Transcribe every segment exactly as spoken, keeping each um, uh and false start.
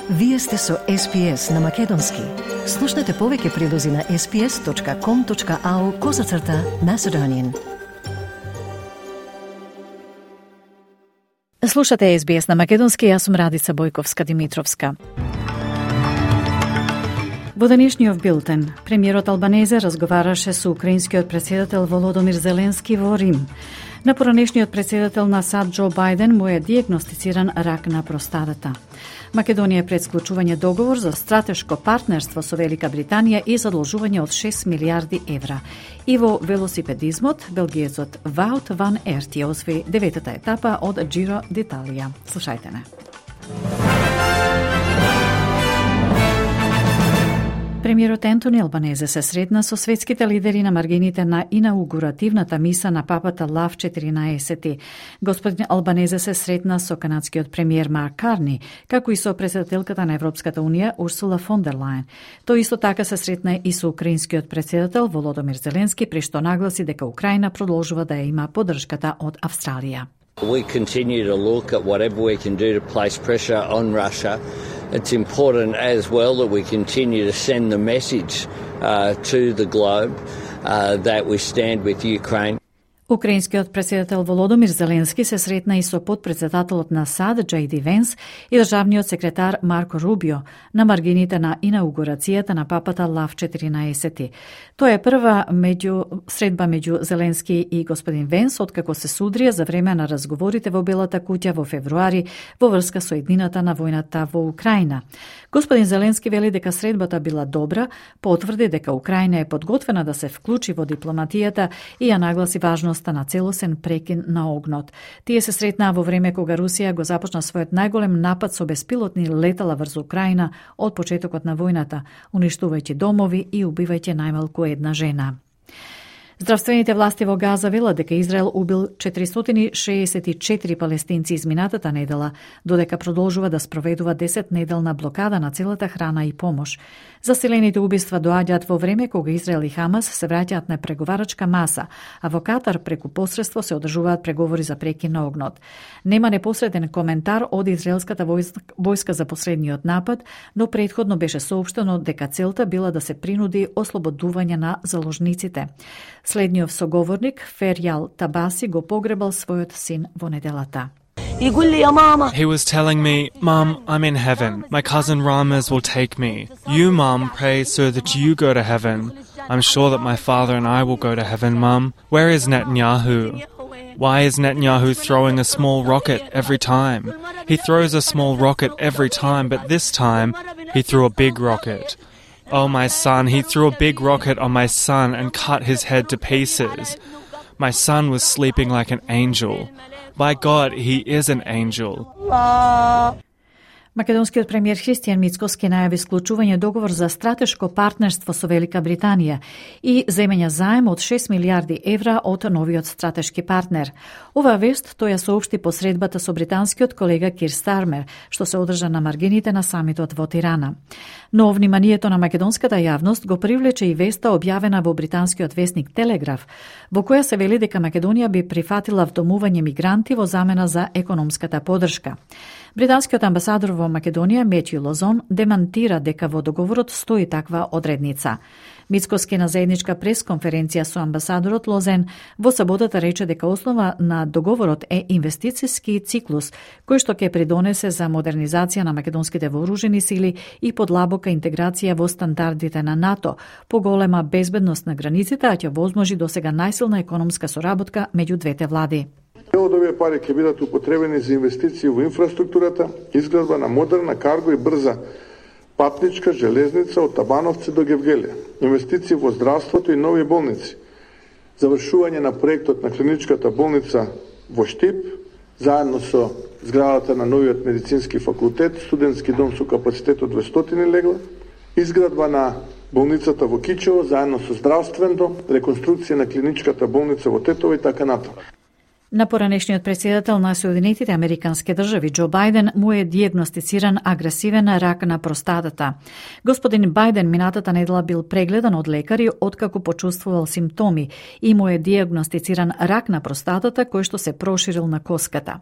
Вие сте со Ес Би Ес на Македонски. Слушнете повеќе прилози на ес би ес точка ком точка ау козацрта Macedonian. Слушате Ес Би Ес на Македонски, јас сум Радица Бојковска-Димитровска. Во денешниот билтен, премиерот Албанезе разговараше со украинскиот претседател Володомир Зеленски во Рим. На поранешниот претседател на САД Џо Бајден му е дијагностициран рак на простатата. Македонија е пред склучување договор за стратешко партнерство со Велика Британија и задолжување од шест милиарди евра. И во велосипедизмот, белгиецот Воут ван Ерт ја освои деветата етапа од Giro d'Italia. Слушајте не. Премиерот Ентони Албанезе се сретна со светските лидери на маргините на инаугуративната миса на папата Лав четиринаесети. Господин Албанезе се сретна со канадскиот премиер Марк Карни, како и со претседателката на Европската унија Урсула фон дер Лајен. Тој исто така се сретна и со украинскиот претседател Володомир Зеленски, при што нагласи дека Украина продолжува да ја има поддршката од Австралија. We continue to look at whatever we can do to place pressure on Russia. It's important as well that we continue to send the message uh, to the globe uh, that we stand with Ukraine. Украинскиот претседател Володомир Зеленски се сретна и со подпредседателот на САД Джей Ди Венс и државниот секретар Марко Рубио на маргините на инаугурацијата на папата Лав четиринаесети. Тоа е прва меѓу средба меѓу Зеленски и господин Венс откако се судрија за време на разговорите во Белата куќа во февруари во врска со еднината на војната во Украина. Господин Зеленски вели дека средбата била добра, потврди дека Украина е подготвена да се вклучи во дипломатијата и ја нагласи важноста на целосен прекин на огнот. Тие се сретнаа во време кога Русија го започна својот најголем напад со беспилотни летала врз Украина од почетокот на војната, уништувајќи домови и убивајќи најмалку една жена. Здравствените власти во Газа велат дека Израел убил четиристотини шеесет и четири палестинци изминатата недела, додека продолжува да спроведува десет неделна блокада на целата храна и помош. Заселените убиства доаѓаат во време кога Израел и Хамас се враќаат на преговарачка маса, а во Катар преку посредство се одржуваат преговори за прекин на огнот. Нема непосреден коментар од израелската војска за последниот напад, но претходно беше соопштено дека целта била да се принуди ослободување на заложниците. Следниот соговорник, Ферјал Табаси, го погребал својот син во неделата. He was telling me, Mum, I'm in heaven. My cousin Ramez will take me. You, Mum, pray so that you go to heaven. I'm sure that my father and I will go to heaven, Mum. Where is Netanyahu? Why is Netanyahu throwing a small rocket every time? He throws a small rocket every time, but this time he threw a big rocket. Oh, my son, he threw a big rocket on my son and cut his head to pieces. My son was sleeping like an angel. By God, he is an angel. Македонскиот премиер Христијан Мицкоски најави склучување договор за стратешко партнерство со Велика Британија и земење заем од шест милиарди евра од новиот стратешки партнер. Оваа вест тој ја соопшти по средбата со британскиот колега Кир Стармер, што се одржа на маргините на самитот во Тирана. Но вниманието на македонската јавност го привлече и веста објавена во британскиот весник Телеграф, во која се вели дека Македонија би прифатила вдомување мигранти во замена за економската поддршка. Британскиот амбасадор во Македонија Метју Лозон демантира дека во договорот стои таква одредница. Мицкоски на заедничка пресконференција со амбасадорот Лозен во саботата рече дека основа на договорот е инвестициски циклус кој што ќе придонесе за модернизација на македонските вооружени сили и подлабока интеграција во стандардите на НАТО, поголема безбедност на границите, а ќе возможи досега најсилна економска соработка меѓу двете влади. Дел од овие пари ќе бидат употребени за инвестиции во инфраструктурата, изградба на модерна карго и брза патничка железница од Табановци до Гевгелија, инвестиции во здравството и нови болници, завршување на проектот на клиничката болница во Штип, заедно со зградата на новиот медицински факултет, студентски дом со капацитет од двестотини легла, изградба на болницата во Кичево, заедно со здравствен дом, реконструкција на клиничката болница во Тетово и така натаму. На поранешниот претседател на Соединетите Американски држави Џо Бајден му е дијагностициран агресивен рак на простатата. Господин Бајден минатата недела бил прегледан од лекари откако почувствувал симптоми и му е дијагностициран рак на простатата кој што се проширил на коската.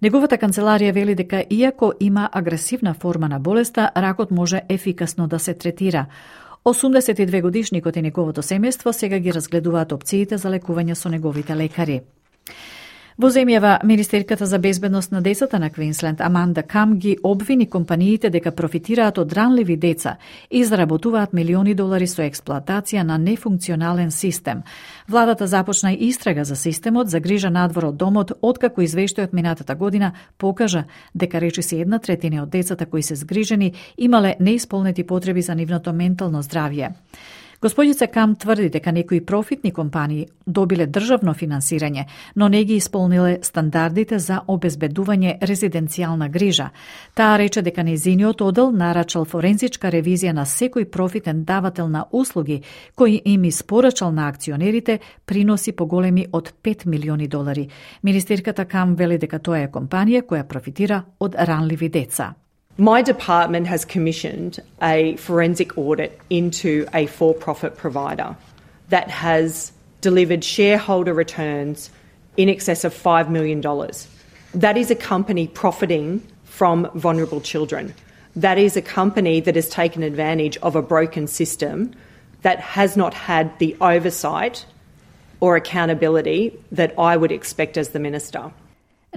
Неговата канцеларија вели дека иако има агресивна форма на болеста, ракот може ефикасно да се третира. осумдесет и две годишникот и неговото семејство сега ги разгледуваат опциите за лекување со неговите лекари. Во земјава, министерката за безбедност на децата на Квинсленд Аманда Кам ги обвини компаниите дека профитираат од ранливи деца и заработуваат милиони долари со експлоатација на нефункционален систем. Владата започна истрага за системот за грижа надвор од домот, откако извештајот минатата година покажа дека речиси една третина од децата кои се згрижени имале неисполнети потреби за нивното ментално здравје. Господица Кам тврди дека некои профитни компании добиле државно финансирање, но не ги исполниле стандардите за обезбедување резиденцијална грижа. Таа рече дека нејзиниот одел нарачал форензичка ревизија на секој профитен давател на услуги, кој им испорачал на акционерите приноси поголеми од пет милиони долари. Министерката Кам вели дека тоа е компанија која профитира од ранливи деца. My department has commissioned a forensic audit into a for-profit provider that has delivered shareholder returns in excess of five million dollars. That is a company profiting from vulnerable children. That is a company that has taken advantage of a broken system that has not had the oversight or accountability that I would expect as the minister.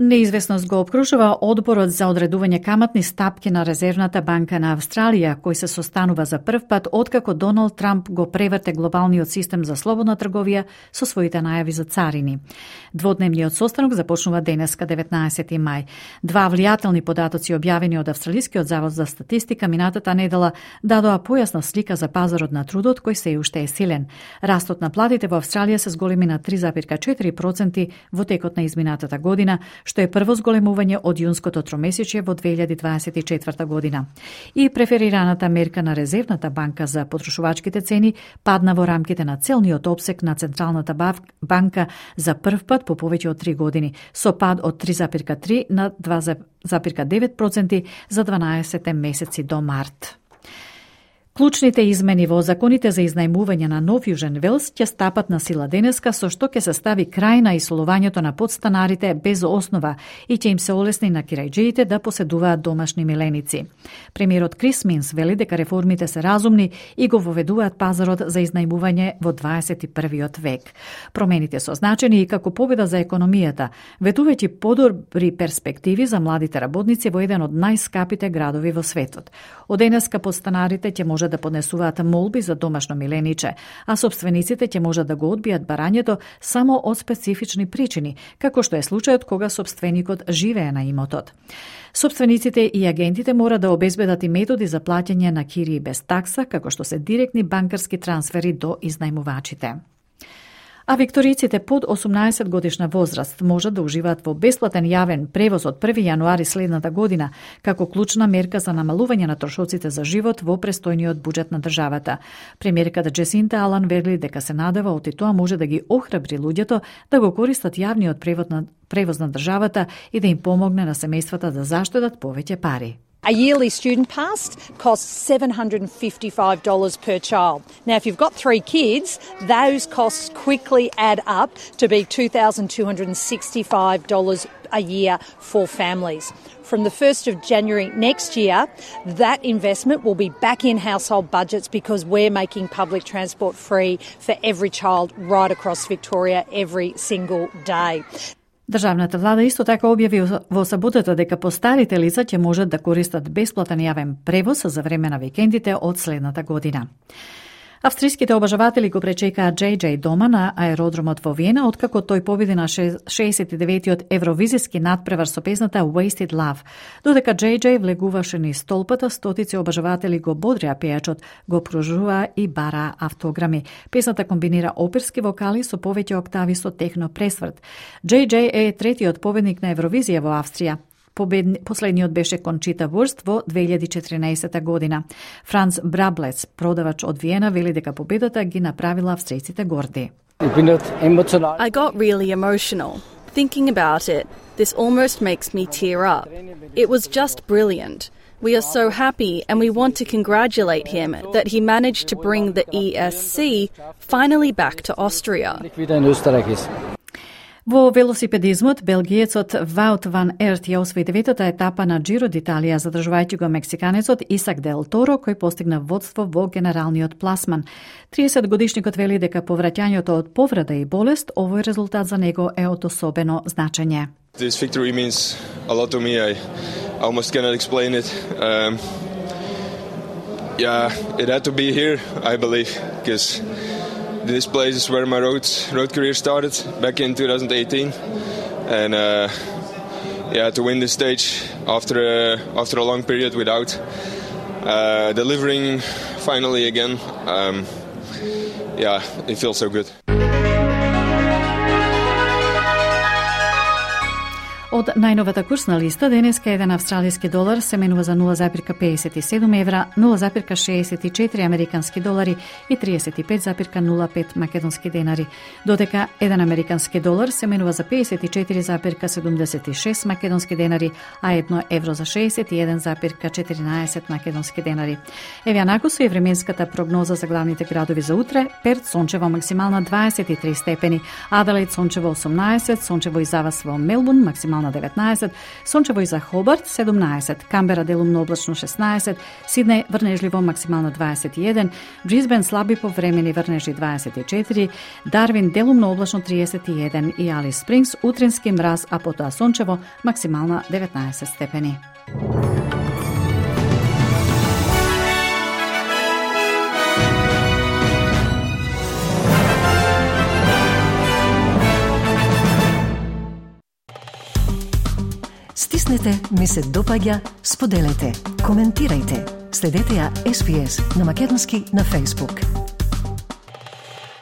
Неизвестност го обкружува одборот за одредување каматни стапки на Резервната банка на Австралија, кој се состанува за прв пат откако Доналд Трамп го преврте глобалниот систем за слободна трговија со своите најави за царини. Дводневниот состанок започнува денеска деветнаесети мај. Два влијателни податоци објавени од Австралискиот завод за статистика минатата недела дадоа појасна слика за пазарот на трудот кој се уште е силен. Растот на платите во Австралија се зголеми на три зарез четири проценти во текот на изминатата година, што е прво зголемување од јунското тромесечје во две илјади дваесет и четврта година. И преферираната мерка на Резервната банка за потрошувачките цени падна во рамките на целниот опсек на Централната банка за прв пат по повеќе од три години, со пад од три зарез три на два зарез девет проценти за дванаесет месеци до март. Клучните измени во законите за изнајмување на Нов Јужен Велс ќе стапат на сила денеска, со што ќе се стави крај на исолувањето на подстанарите без основа и ќе им се олесни на кирајџиите да поседуваат домашни миленици. Премиерот Крис Минс вели дека реформите се разумни и го воведуваат пазарот за изнајмување во дваесет и првиот век. Промените се означени и како победа за економијата, ветувајќи подобри перспективи за младите работници во еден од најскапите градови во светот. Од денеска подстанарите ќе може да поднесуваат молби за домашно милениче, а собствениците ќе можат да го одбијат барањето само од специфични причини, како што е случајот кога собственикот живее на имотот. Собствениците и агентите мора да обезбедат и методи за плаќање на кирии без такса, како што се директни банкарски трансфери до изнајмувачите. А викториците под осумнаесет годишна возраст можат да уживаат во бесплатен јавен превоз од први јануари следната година, како клучна мерка за намалување на трошоците за живот во престојниот буџет на државата. Премиерката Джесинта Алан вели дека се надева оти тоа може да ги охрабри луѓето да го користат јавниот превоз на, превоз на државата и да им помогне на семејствата да заштедат повеќе пари. A yearly student pass costs seven hundred fifty-five dollars per child. Now, if you've got three kids, those costs quickly add up to be two thousand two hundred sixty-five dollars a year for families. From the first of January next year, that investment will be back in household budgets because we're making public transport free for every child right across Victoria every single day. Државната влада исто така објави во саботата дека постарите лица ќе можат да користат бесплатен јавен превоз за време на викендите од следната година. Австријските обажаватели го пречекаа Джей Джей дома на аеродромот во Виена, откако тој победи на шеесет и деветиот евровизиски надпревар со песната Wasted Love. Додека Джей Джей влегуваше низ столпата, стотици обажаватели го бодрија пејачот, го пружува и бара автограми. Песната комбинира оперски вокали со повеќе октави со техно пресврт. Джей Джей е третиот победник на Евровизија во Австрија. Победни, последниот беше Кончита Вурст во две илјади и четиринаесета година. Франц Браблец, продавач од Виена, вели дека победата ги направила австријците горди. I got really emotional. Thinking about it, this almost makes me tear up. It was just brilliant. We are so happy and we want to congratulate him that he managed to bring the E S C finally back to Austria. Во велосипедизмот, белгиецот Wout van Aert ја освои деветата етапа на Giro d'Italia, задржувајќи го мексиканецот Исак Дел Торо, кој постигна водство во генералниот пласман. триесет годишникот вели дека повраќањето од повреда и болест, овој резултат за него е од особено значење. This victory means a lot to me. I almost cannot explain it. Um, yeah, it had to be here, I believe, because this place is where my road road career started back in two thousand eighteen, and uh, yeah, to win this stage after a, after a long period without uh, delivering finally again, um, yeah, it feels so good. Од најновата курсна листа, денеска еден австралиски долар се менува за нула запирка педесет и седум евра, нула запирка шеесет и четири американски долари и триесет и пет запирка нула пет македонски денари, додека еден американски долар се менува за педесет и четири запирка седумдесет и шест македонски денари, а едно евро за шеесет и еден запирка четиринаесет македонски денари. Еве анако со и временската прогноза за главните градови за утре: Перт сончево максимална дваесет и три степени, Аделаид сончево осумнаесет, сончево и завас во Мелбурн максимална на деветнаесет, сончево и за Хобарт седумнаесет, Камбера делумно облачно шеснаесет, Сиднеј врнежливо максимално дваесет и еден, Брисбен слаби повремени врнежи дваесет и четири, Дарвин делумно облачно триесет и еден и Алис Спрингс утрински мраз, а потоа сончево максимална деветнаесет степени. Стиснете, ми се допаѓа, споделете, коментирајте. Следете ја Ес Би Ес на македонски на Facebook.